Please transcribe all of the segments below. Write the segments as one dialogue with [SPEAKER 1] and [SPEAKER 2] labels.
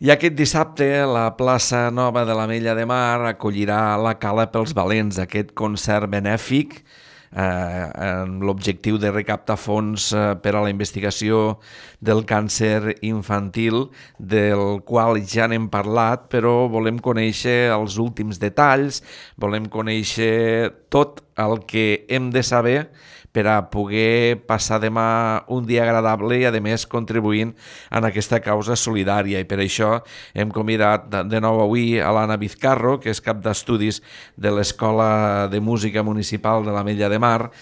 [SPEAKER 1] I aquest dissabte la plaça Nova de l'Ametlla de Mar acollirà la Cala pels Valents, aquest concert benèfic amb l'objectiu de recaptar fons per a la investigació del càncer infantil, del qual ja n'hem parlat, però volem conèixer els últims detalls, volem conèixer tot el que hem de saber per a poder passar demà un dia agradable i, a més, contribuint en aquesta causa solidària. I per això hem convidat de nou avui a l'Anna Vizcarro, que és cap d'estudis de l'Escola de Música Municipal de l'Ametlla de Mar,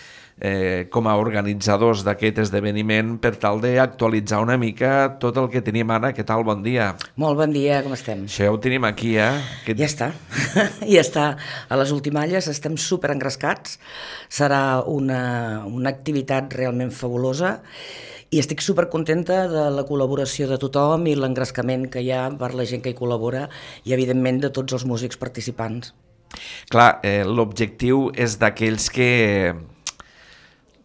[SPEAKER 1] com a organitzadors d'aquest esdeveniment, per tal d'actualitzar una mica tot el que tenim. Anna, què tal? Bon dia.
[SPEAKER 2] Molt bon dia, com estem?
[SPEAKER 1] Això ja ho tenim aquí,
[SPEAKER 2] Ja està, ja està a les ultimalles, estem super engrescats, serà una activitat realment fabulosa i estic super contenta de la col·laboració de tothom i l'engrescament que hi ha per la gent que hi col·labora i evidentment de tots els músics participants.
[SPEAKER 1] Clar, l'objectiu és d'aquells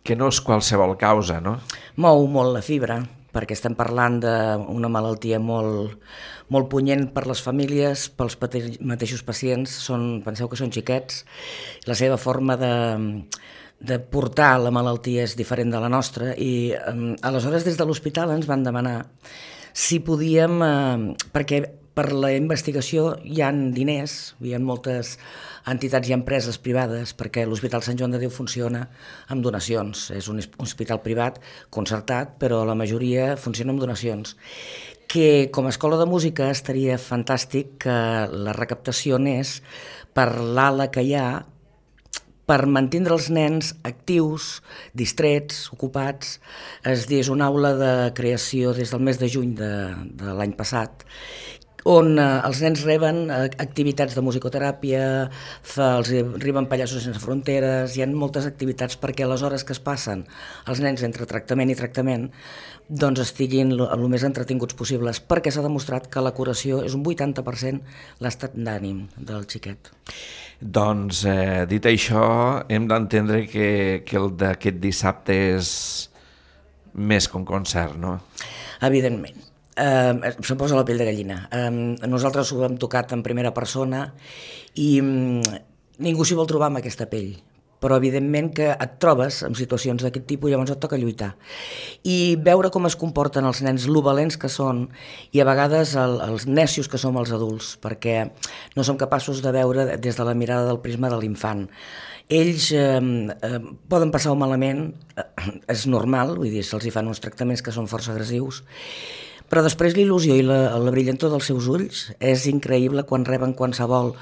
[SPEAKER 1] que no és qualsevol causa, no?
[SPEAKER 2] Mou molt la fibra, perquè estem parlant d'una malaltia molt punyent per les famílies, pels mateixos pacients, penseu que són xiquets, la seva forma de portar la malaltia és diferent de la nostra i aleshores des de l'hospital ens van demanar si podíem, perquè per la investigació hi ha diners, hi ha moltes entitats i empreses privades, perquè l'Hospital Sant Joan de Déu funciona amb donacions. És un hospital privat concertat, però la majoria funciona amb donacions. Que com a escola de música estaria fantàstic que la recaptació anés per l'ala que hi ha per mantenir els nens actius, distrets, ocupats. És una aula de creació des del mes de juny de l'any passat, on els nens reben activitats de musicoteràpia, els arriben Pallassos Sense Fronteres, hi ha moltes activitats perquè a les hores que es passen els nens entre tractament i tractament doncs estiguin el més entretinguts possibles, perquè s'ha demostrat que la curació és un 80% l'estat d'ànim del xiquet.
[SPEAKER 1] Doncs, dit això, hem d'entendre que el d'aquest dissabte és més que un concert, no?
[SPEAKER 2] Evidentment. Se'm posa la pell de gallina. Nosaltres ho hem tocat en primera persona i ningú s'hi vol trobar amb aquesta pell, però evidentment que et trobes en situacions d'aquest tipus i llavors et toca lluitar. I veure com es comporten els nens, lo valents que són i a vegades els necios que som els adults, perquè no som capaços de veure des de la mirada del prisma de l'infant. Ells poden passar-ho malament, és normal, vull dir, se'ls hi fan uns tractaments que són força agressius, però després l'il·lusió i la brillantor dels seus ulls és increïble quan reben qualsevol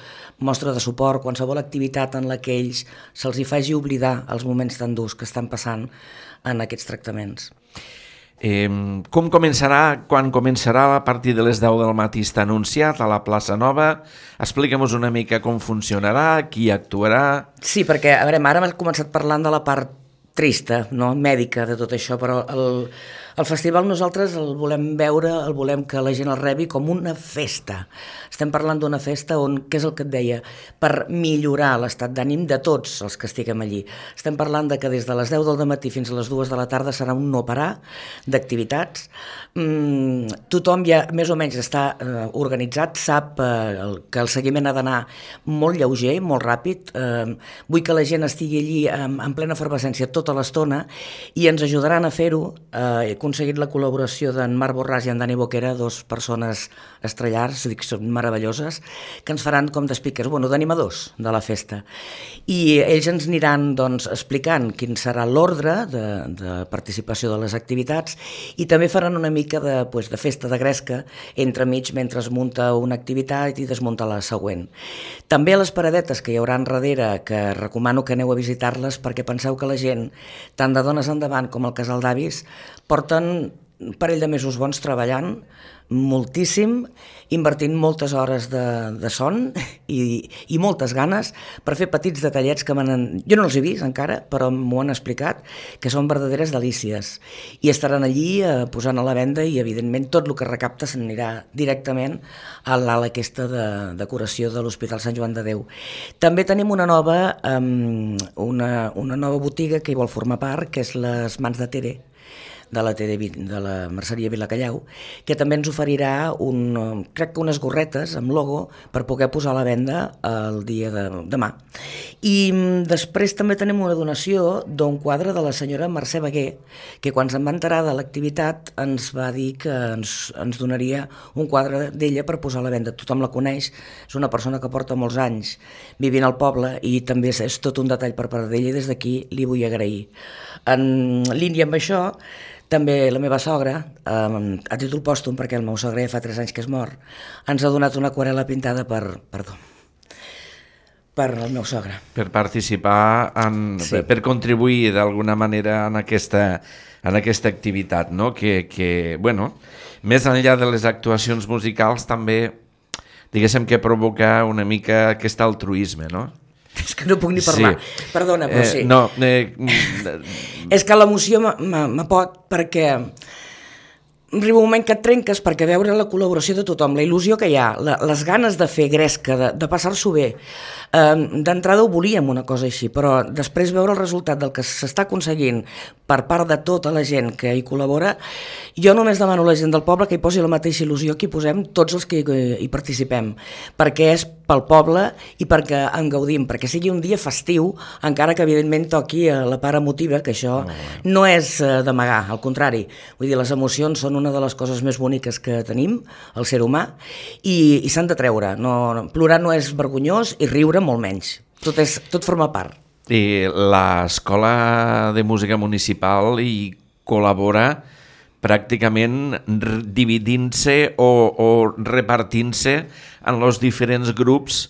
[SPEAKER 2] mostra de suport, qualsevol activitat en la que ells se'ls hi faci oblidar els moments tan durs que estan passant en aquests tractaments.
[SPEAKER 1] Com començarà, quan començarà a partir de les 10 del matí està anunciat a la plaça Nova? Explica'm-nos una mica com funcionarà, qui actuarà...
[SPEAKER 2] Sí, perquè a veure, ara hem començat parlant de la part trista, no? Mèdica de tot això, però el festival nosaltres el volem veure, el volem que la gent el rebi com una festa. Estem parlant d'una festa on, què és el que et deia, per millorar l'estat d'ànim de tots els que estiguem allí. Estem parlant de que des de les 10 del matí fins a les 2 de la tarda serà un no parar d'activitats. Tothom ja més o menys està organitzat, sap que el seguiment ha d'anar molt lleuger, molt ràpid. Vull que la gent estigui allí en plena efervescència tota l'estona i ens ajudaran a fer-ho. He aconseguit la col·laboració d'en Marc Borràs i en Dani Boquera, dos persones estrellars, dic, són meravelloses, que ens faran com de speakers, d'animadors de la festa. I ells ens aniran doncs, explicant quin serà l'ordre de participació de les activitats i també faran una mica de festa de gresca entremig mentre es munta una activitat i desmunta la següent. També a les paradetes que hi haurà darrere, que recomano que aneu a visitar-les perquè penseu que la gent, tant de dones endavant com el casal d'avis, porten un parell de mesos bons treballant moltíssim, invertint moltes hores de son i moltes ganes per fer petits detallets que jo no els he vist encara, però m'ho han explicat, que són verdaderes delícies. I estaran allí posant a la venda i, evidentment, tot el que recapta s'anirà directament a l'ala aquesta de curació de l'Hospital Sant Joan de Déu. També tenim una nova botiga que hi vol formar part, que és les Mans de Tere, de la de la Merceria Vilacalleu, que també ens oferirà crec que unes gorretes amb logo per poder posar a la venda el dia de demà. I després també tenim una donació d'un quadre de la senyora Mercè Baguer, que quan se'n va enterar de l'activitat ens va dir que ens donaria un quadre d'ella per posar a la venda. Tothom la coneix, és una persona que porta molts anys vivint al poble i també és tot un detall per part d'ella i des d'aquí li vull agrair. En línia amb això, també la meva sogra, a títol pòstum, perquè el meu sogre ja fa 3 anys que és mort, ens ha donat una aquarel·la pintada per el meu sogre.
[SPEAKER 1] Per participar, sí. Per contribuir d'alguna manera en aquesta activitat, no? Que, bueno, més enllà de les actuacions musicals també, diguéssim que provoca una mica aquest altruisme, no?
[SPEAKER 2] És que no puc ni parlar, sí. Perdona, però sí. És que l'emoció m'apot perquè arriba un moment que et trenques perquè veure la col·laboració de tothom, la il·lusió que hi ha, les ganes de fer gresca, de passar-s'ho bé. D'entrada ho volíem una cosa així, però després veure el resultat del que s'està aconseguint per part de tota la gent que hi col·labora, jo només demano a la gent del poble que hi posi la mateixa il·lusió que hi posem tots els que hi participem, perquè és pel poble i perquè en gaudim, perquè sigui un dia festiu, encara que evidentment toqui la part emotiva, que això no és d'amagar, al contrari. Vull dir, les emocions són una de les coses més boniques que tenim, el ser humà, i s'han de treure. Plorar no és vergonyós i riure molt menys. Tot forma part.
[SPEAKER 1] I l'Escola de Música Municipal hi col·labora pràcticament dividint-se o repartint-se en els diferents grups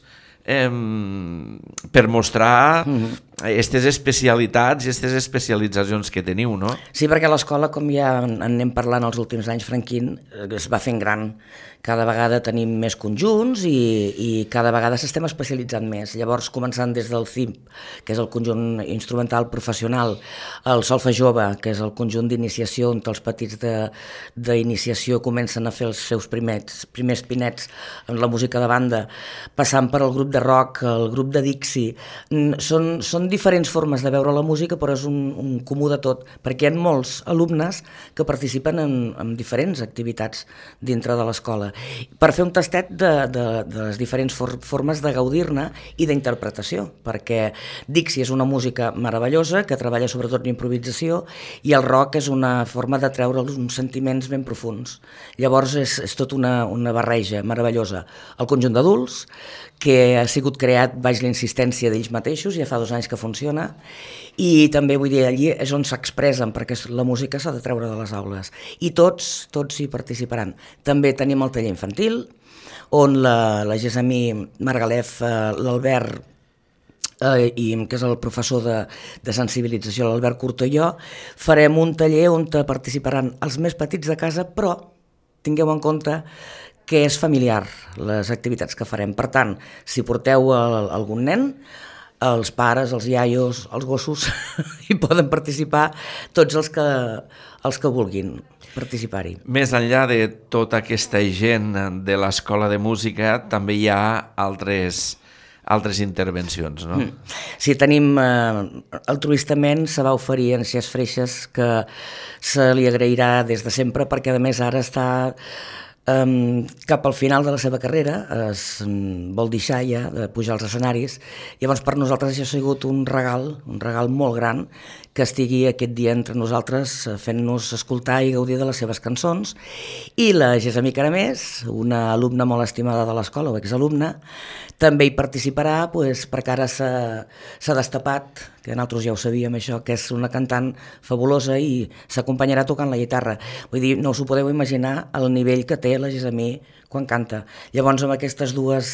[SPEAKER 1] per mostrar aquestes especialitats i aquestes especialitzacions que teniu, no?
[SPEAKER 2] Sí, perquè l'escola, com ja en anem parlant els últims anys, Franquín, es va fent gran. Cada vegada tenim més conjunts i cada vegada s'estem especialitzant més. Llavors, començant des del CIMP, que és el conjunt instrumental professional, el Solfa Jove, que és el conjunt d'iniciació on els petits d'iniciació comencen a fer els seus primers pinets en la música de banda, passant per el grup de rock, el grup de Dixie. Són diferents formes de veure la música, però és un comú de tot, perquè hi ha molts alumnes que participen en diferents activitats dintre de l'escola, per fer un tastet de les diferents formes de gaudir-ne i d'interpretació, perquè Dixie és una música meravellosa que treballa sobretot en improvisació i el rock és una forma de treure uns sentiments ben profuns. Llavors és tot una barreja meravellosa. El conjunt d'adults, que ha sigut creat baix la insistència d'ells mateixos, ja fa 2 anys que funciona, i també vull dir, allí és on s'expressen, perquè la música s'ha de treure de les aules, i tots hi participaran. També tenim el taller infantil, on la Gessamí Margalef, l'Albert, que és el professor de sensibilització, l'Albert Curto i jo, farem un taller on participaran els més petits de casa, però tingueu en compte que és familiar, les activitats que farem. Per tant, si porteu algun nen, els pares, els iaios, els gossos, hi poden participar tots els que vulguin participar-hi.
[SPEAKER 1] Més enllà de tota aquesta gent de l'Escola de Música, també hi ha altres intervencions, no?
[SPEAKER 2] Sí, tenim altruistament, se va oferir en Cies Freixes, que se li agrairà des de sempre, perquè a més ara està cap al final de la seva carrera, es vol deixar ja de pujar als escenaris. Llavors per nosaltres això ha sigut un regal molt gran, que estigui aquest dia entre nosaltres fent-nos escoltar i gaudir de les seves cançons. I la Gessamí Caramés, una alumna molt estimada de l'escola, o exalumna, també hi participarà, perquè ara s'ha destapat, que nosaltres ja ho sabíem això, que és una cantant fabulosa i s'acompanyarà tocant la guitarra. Vull dir, no us ho podeu imaginar el nivell que té la Gessamí quan canta. Llavors amb aquestes 2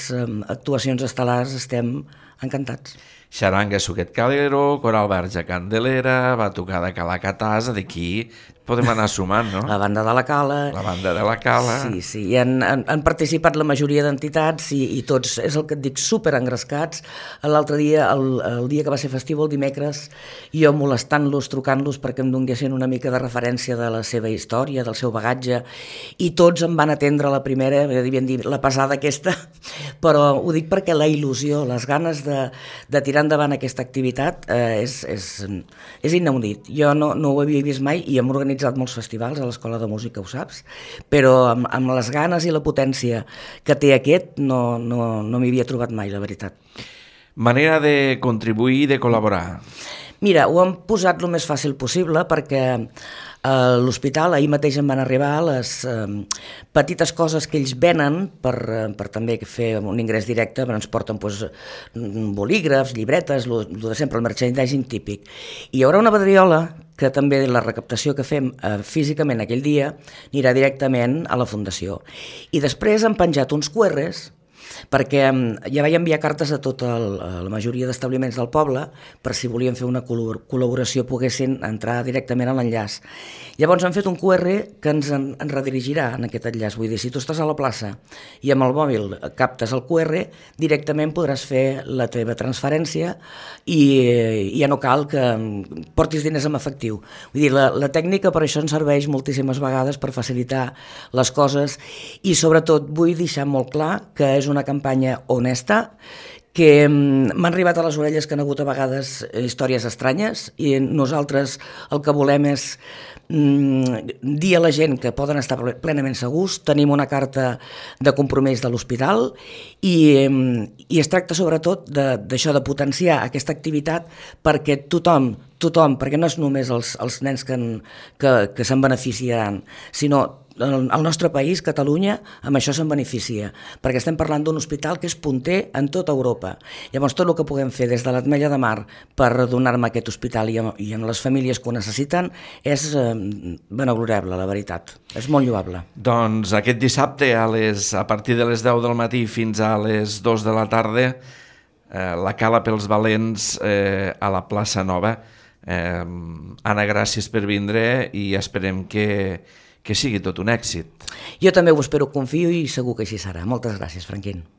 [SPEAKER 2] actuacions estel·lars estem encantats.
[SPEAKER 1] Xaranga Suquet Calero, Coral Verge Candelera, Batucada Calacatàs, d'aquí podem anar sumant, no?
[SPEAKER 2] La banda de la Cala.
[SPEAKER 1] La banda de la Cala.
[SPEAKER 2] Sí, i han participat la majoria d'entitats i tots, és el que et dic, super engrescats. L'altre dia, el dia que va ser festiu, el dimecres, jo molestant-los, trucant-los perquè em donguessin una mica de referència de la seva història, del seu bagatge, i tots em van atendre la primera, devien dir la pesada aquesta, però ho dic perquè la il·lusió, les ganes de tirar endavant aquesta activitat és inaudit. Jo no ho havia vist mai i amb organització organitzat molts festivals a l'Escola de Música, ho saps, però amb les ganes i la potència que té aquest no m'hi havia trobat mai, la veritat.
[SPEAKER 1] Manera de contribuir i de col·laborar.
[SPEAKER 2] Mira, ho hem posat el més fàcil possible perquè a l'hospital ahir mateix em van arribar les petites coses que ells venen per també fer un ingrés directe, ens porten bolígrafs, llibretes, el de sempre, el merchandising típic. I hi haurà una pedriola que també la recaptació que fem físicament aquell dia anirà directament a la Fundació. I després han penjat uns QRs perquè ja vaig enviar cartes a la majoria d'establiments del poble per si volien fer una col·laboració poguessin entrar directament a l'enllaç. Llavors han fet un QR que ens redirigirà en aquest enllaç. Vull dir, si tu estàs a la plaça i amb el mòbil captes el QR, directament podràs fer la teva transferència i ja no cal que portis diners en efectiu. Vull dir, la tècnica per això ens serveix moltíssimes vegades per facilitar les coses i sobretot vull deixar molt clar que és una campanya honesta, que m'han arribat a les orelles que han hagut a vegades històries estranyes i nosaltres el que volem és dir a la gent que poden estar plenament segurs. Tenim una carta de compromís de l'hospital i es tracta sobretot d'això, de potenciar aquesta activitat perquè tothom, perquè no és només els nens que se'n beneficiaran, sinó el nostre país, Catalunya, amb això se'n beneficia, perquè estem parlant d'un hospital que és punter en tota Europa. Llavors, tot el que puguem fer des de l'Ametlla de Mar per donar-me aquest hospital i amb les famílies que ho necessiten és benegloriable, la veritat. És molt lloable.
[SPEAKER 1] Doncs aquest dissabte, a partir de les 10 del matí fins a les 2 de la tarda, la Cala pels Valents a la plaça Nova. Anna, gràcies per vindre i esperem que sigui tot un èxit.
[SPEAKER 2] Jo també ho espero, confio i segur que així serà. Moltes gràcies, Franquín.